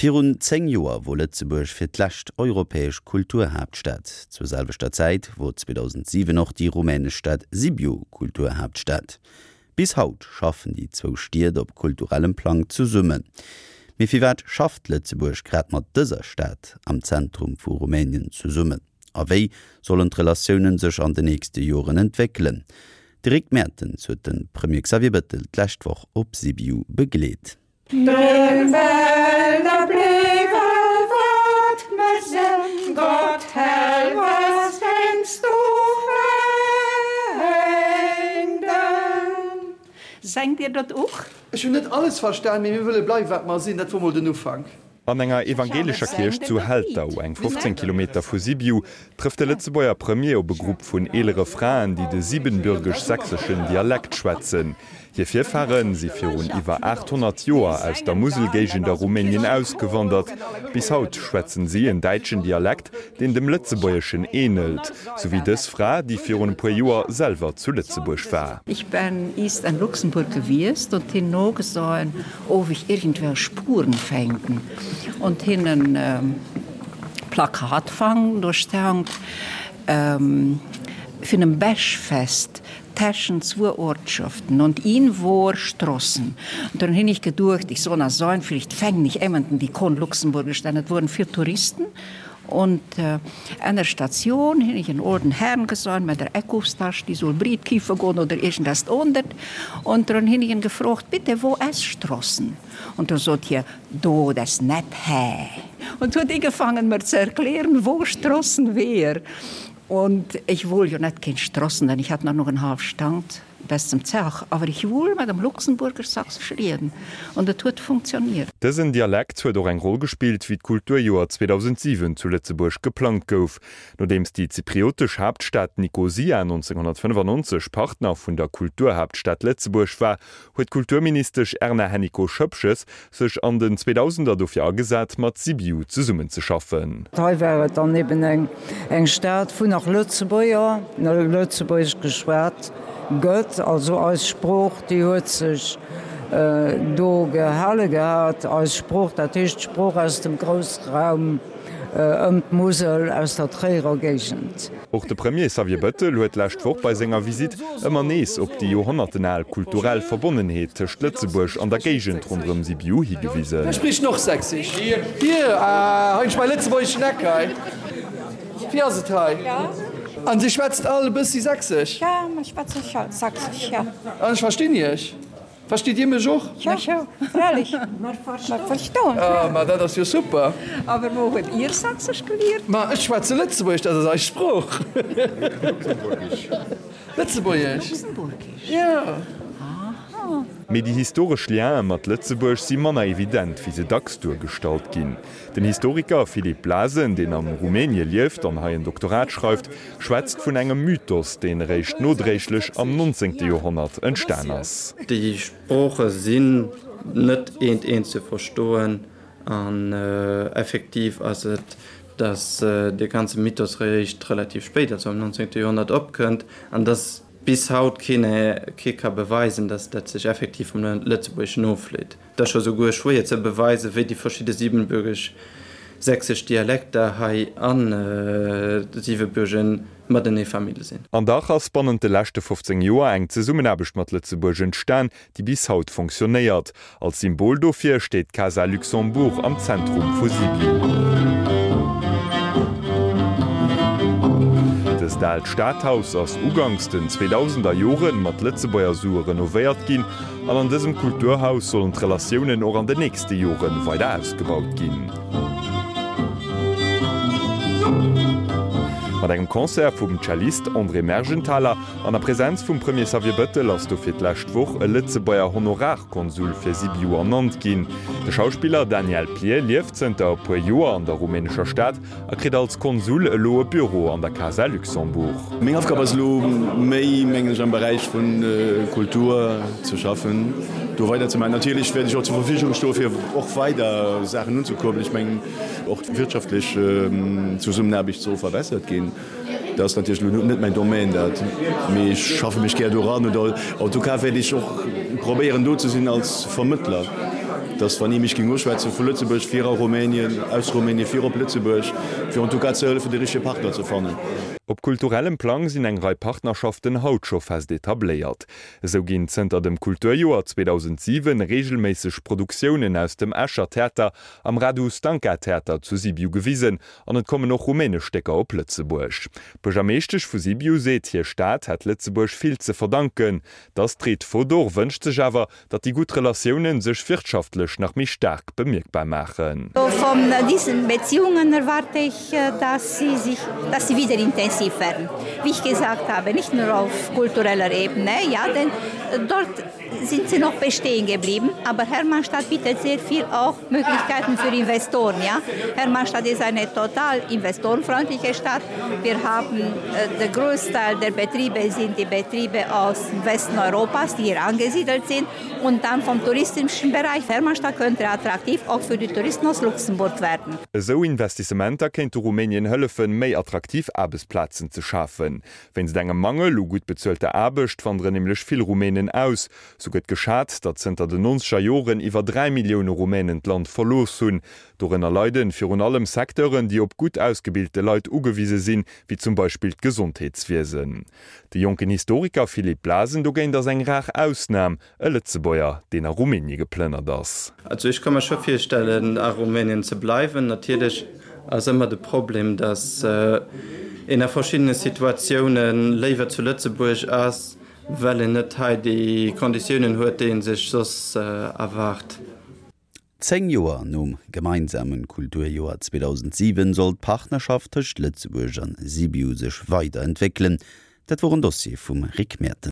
Virun 10 Joer wor Lëtzebuerg fir d'lescht europäesch Kulturhaaptstad. Zur selwechter Zäit wor 2007 och déi rumänesch Stad Sibiu Kulturhaaptstad. Bis haut schaffen déi zwou Stied op kulturellem Plang zesummen. Mee firwat schafft Lëtzebuerg grad mat dëser Stad am Zentrum vu Rumänien zesummen? A wéi sollen d'Relatiounen sech an de nächste Joren entwéckelen? De Rick Mertens huet de Premier Xavier Bettel d'lescht Woch op Sibiu begleet. Sengt Dir dat och? Ech hunn net alles verstan, mee mir wëlle bleiwen, wat mer sinn. Dat wor mol den Ufank. An enger evangeelescher Kierch zu Heltau, eng 15 Kilometer vu Sibiu, trëfft de Lëtzebuerger Premier op e Grupp vun eelere Fraen, déi de siebenbürgesch-sächseschen Dialekt schwätzen. Hir Virfahre si virun iwwer 800 Joer aus der Muselgéigend a Rumänien ausgewandert. Bis haut schwätzen si en däitschen Dialekt, deen dem Lëtzebuergeschen änelt, sou wéi dës Fra, déi virun e puer Joer selwer zu Lëtzebuerg war. Ich bin ist in Luxemburg gewiest und hin nogesoen of ich irgendwelche Spuren fänden und hin en Plakat fang, do stand vun em Bäschfest teschent zwoe Ortschaften und in wor Strossen. Und dann hin ich geduecht, ich soll na soen, vielleicht fängen ich ementen, die kon Luxemburgisch, denn et woren vill Touristen. Und an der Station hin ich en olden Herrn gesoen mit der Eckhofstasch, die soll Briet kiefe goen oder irgendest ondert. Und dann hin ich en gefrogt, bitte, wo es Strossen? Und dann sot hie, do, das net hä. Und huet ugefangen mer ze erklären, wo Strossen wär. Und ich wohl jo net keen Strossen, denn ich hat nach en half Stand bis zum Zach, awer ich wohl mat dem Luxemburger Sächsisch rieden und et huet funktioniert. Dësen Dialekt huet och eng Roll gespillt, wéi d'Kulturjoer 2007 zu Lëtzebuerg geplangt gouf. Nodeems déi zypriotesch Haaptstad Nikosia 1995 Partner vun der Kulturhaaptstad Lëtzebuerg war, huet d'Kulturministesch Erna Hennicot-Schoepges sech an den Zweedausender dofir agesat, mat Sibiu zesummenzeschaffen. Hei war et dann eben eng Stad, wou nach Lëtzebuerger, Lëtzebuergesch geschwat gëtt. Also eis Sprooch, déi huet sech do gehale gehat. Eis Sprooch, dat heescht d'Sprooch aus dem Groussraum ëm d'Musel, aus der Tréierer Géigend. Och de Premier Xavier Bëttel huet d'lescht Woch bei senger Visitt ëmmer nees op déi joerhonnertenal kulturell Verbonnenheet tëscht Lëtzebuerg an der Géigend ronderëm Sibiu higewisen. Wer spricht noch Sächsisch? Hier, ah, hei ech mäi lëtzebuergeschen Eck hei. Wéi ass et hei? An dir schwätzt all e bëssi Sächsesch? Ja, mir schwätzen Sächsisch, ja. An ech verstinn iech. Versteet Dir mech och? Jo, freilich. Mer verstoen. Ah, ma dat ass jo super. Awer wou huet Dir Sächsesch geliert? Ma ech schwätze Lëtzebuergesch, dat ass eis Sprooch. Luxemburgisch. Lëtzebuergesch. Luxemburgisch. Jo. Aha. Mee déi historesch Liene mat Lëtzebuerg si manner evident, wéi se dacks duergestallt ginn. Den Historiker Philippe Blasen, deen am Rumänie lieft an hei en Doktorat schreift, schwätzt vun engem Mythos, deen eréischt nodréiglech am 19. Joerhonnert entstan ass. Déi Sprooche sinn net eent eent ze verstoen an effektiv ass et, datt dee ganze Mythos eréischt relativ spéit, also am 19. Joerhonnert opkënnt an datt bis haut keen kee ka beweisen, datt dat sech effektiv vum Lëtzebuergeschen ofleet. Et ass scho souguer schwéier ze beweisen, wéi déi verschidde siebenbürgesch-sächsesch Dialekter hei a Siwebürgen matenee Famill sinn. An dach ass bannent de leschte 15 Joer eng Zesummenaarbecht mat Lëtzebuerg entstan, déi bis haut fonctionnéiert. Als Symbol dofir steet d'Casa Luxembourg am Zentrum vu Sibiu. Dëst aalt Stadhaus ass uganks den 2000er Jore mat Lëtzebuerger Sue renovéiert ginn An an dësem Kulturhaus sollen d'Relatiounen och an den nächste Jore weider ausgebaut ginn. Mat engem Concert vum Cellist André Mergenthaler an a Präsenz vum Premier Xavier Bëttel ass dofir d'lescht Woch e Lëtzebuerger Honorarkonsul fir Sibiu ernannt ginn. De Schauspiller Daniel Plier lieft zënter e puer Joer an der rumänescher Stad a kritt als Konsul elo e Büro an der Casa Luxembourg. Meng Aufgab ass elo méi, mengen ech, am Beräich vu Kultur ze schaffen, do weiderzemaachen. Natierlech wäert ech och zur Verfügung stoe fir och weider Saachen unzekuerbelen. Ech mengen och d'wirtschaftlech Zesummenaarbecht soll verbessert ginn. Dat ass natierlech elo net mäin Domaine dat, mee ech schaffe mech gär do eran. Oder en tout cas wäert ech och probéieren do ze sinn als Vermëttler. dass wann ee mech géing uschwätzen vu Lëtzebuerg fir a Rumänien, aus Rumänien fir op Lëtzebuerg, fir en tout cas ze hëllefen de richtege Partner ze fannen. Op kulturellem Plang sinn eng Rei Partnerschaften haut scho fest etabléiert. Esou ginn zënter dem Kulturjoer 2007 reegelméisseg Produktiounen aus dem Escher Theater am Radu Stanca Theater zu Sibiu gewisen an et kommen och rumänesch Stécker op Lëtzebuerg. D'Buergermeeschtesch vu Sibiu seet, hir Stad hätt Lëtzebuerg vill ze verdanken. D'Astrid Fodor wënscht sech awer, datt déi gutt Relatiounen sech wirtschaftlech nach méi staark bemierkbar maachen. Von diesen Beziehungen erwarte ich, dass sie sich, dass sie wieder intensiv werden. Wie ich gesagt habe, nicht nur auf kultureller Ebene, ja, denn dort sind sie noch bestehen geblieben, aber Hermannstadt bietet sehr viel auch Möglichkeiten für Investoren. Ja. Hermannstadt ist eine total investorenfreundliche Stadt. Wir haben äh, der Großteil der Betriebe sind die Betriebe aus dem Westen Europas, die hier angesiedelt sind und dann vom touristischen Bereich Hermannstadt könnte attraktiv auch für die Touristen aus Luxemburg werden. Esou Investissementer kéinte Rumänien hëllefen, méi attraktiv Aarbechtsplazen ze schafen. Wéinst engem Mangel u gutt bezuelter Aarbecht wanderen nämlech vill Rumänen aus. Sou gëtt geschat, datt zënter den nonzeger Joren iwwer 3 Millioune Rumänen d'Land verlooss hunn. Dorënner leiden virun allem Secteuren, déi op gutt ausgebilte Leit ugewise sinn, wéi zum Beispill d'Gesondheetswiesen. De jonken Historiker Philippe Blasen dogéint ass eng rar Ausnam, e Lëtzebuerger, deen a Rumänie geplënnert ass. Also ech ka mer scho virstellen a Rumänien ze bleiwen. Natierlech ass ëmmer de Problem, datt een a verschiddene Situatioune léiwer zu Lëtzebuerg ass, well een net hei déi Konditiounen huet, déi ee sech soss erwaart. 10 Joer nom gemeinsame Kulturjoer 2007 soll d'Partnerschaft tëscht Lëtzebuerg an Sibiu sech weider entwéckelen. Dat wor en Dossier vum Rick Mertens.